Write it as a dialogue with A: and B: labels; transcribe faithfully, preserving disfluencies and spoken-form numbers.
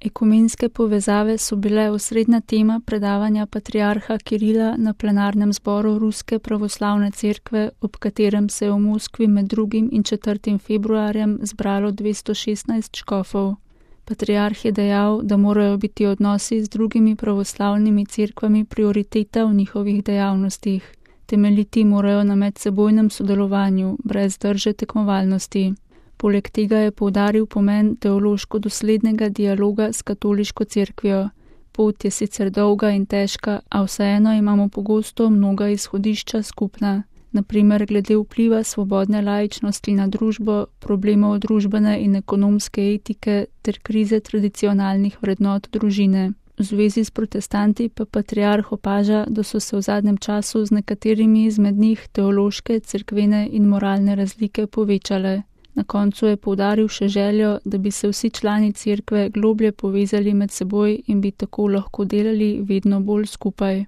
A: Ekumenske povezave so bile osrednja tema predavanja patriarha Kirila na plenarnem zboru Ruske pravoslavne cerkve, ob katerem se je v Moskvi med drugim in četrtim februarjem zbralo dvesto šestnajst škofov. Patriarh je dejal, da morajo biti odnosi z drugimi pravoslavnimi cerkvami prioriteta v njihovih dejavnostih. Temeljiti morajo na medsebojnem sodelovanju, brez drže tekmovalnosti. Poleg tega je poudaril pomen teološko doslednega dialoga s katoliško cerkvijo. Pot je sicer dolga in težka, a vseeno imamo pogosto mnoga izhodišča skupna. Na primer glede vpliva svobodne laičnosti na družbo, problemov družbene in ekonomske etike ter krize tradicionalnih vrednot družine. V zvezi s protestanti pa patriarh opaža, da so se v zadnjem času z nekaterimi izmed njih teološke, cerkvene in moralne razlike povečale. Na koncu je poudaril še željo, da bi se vsi člani cerkve globlje povezali med seboj in bi tako lahko delali vedno bolj skupaj.